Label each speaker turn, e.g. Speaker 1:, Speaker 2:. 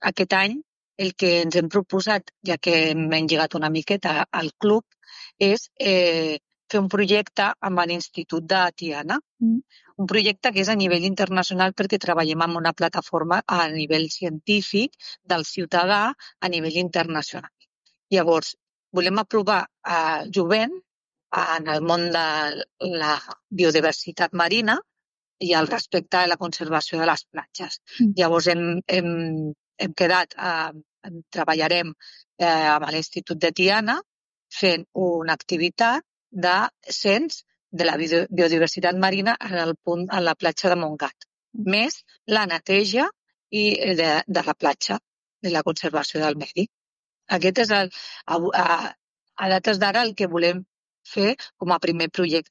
Speaker 1: aquest any el que ens hem proposat, ja que hem engegat una miqueta al club, és fer un projecte amb l'Institut de Tiana. Un projecte que és a nivell internacional perquè treballem amb una plataforma a nivell científic del ciutadà a nivell internacional. Llavors, volem aprovar jovent en el món de la biodiversitat marina i el respecte a la conservació de les platges. Llavors hem quedat, treballarem amb l'Institut de Tiana fent una activitat de cens de la biodiversitat marina a la platja de Montgat, més la neteja de la platja, de la conservació del medi. Aquest és a dates d'ara el que volem fer com a primer projecte.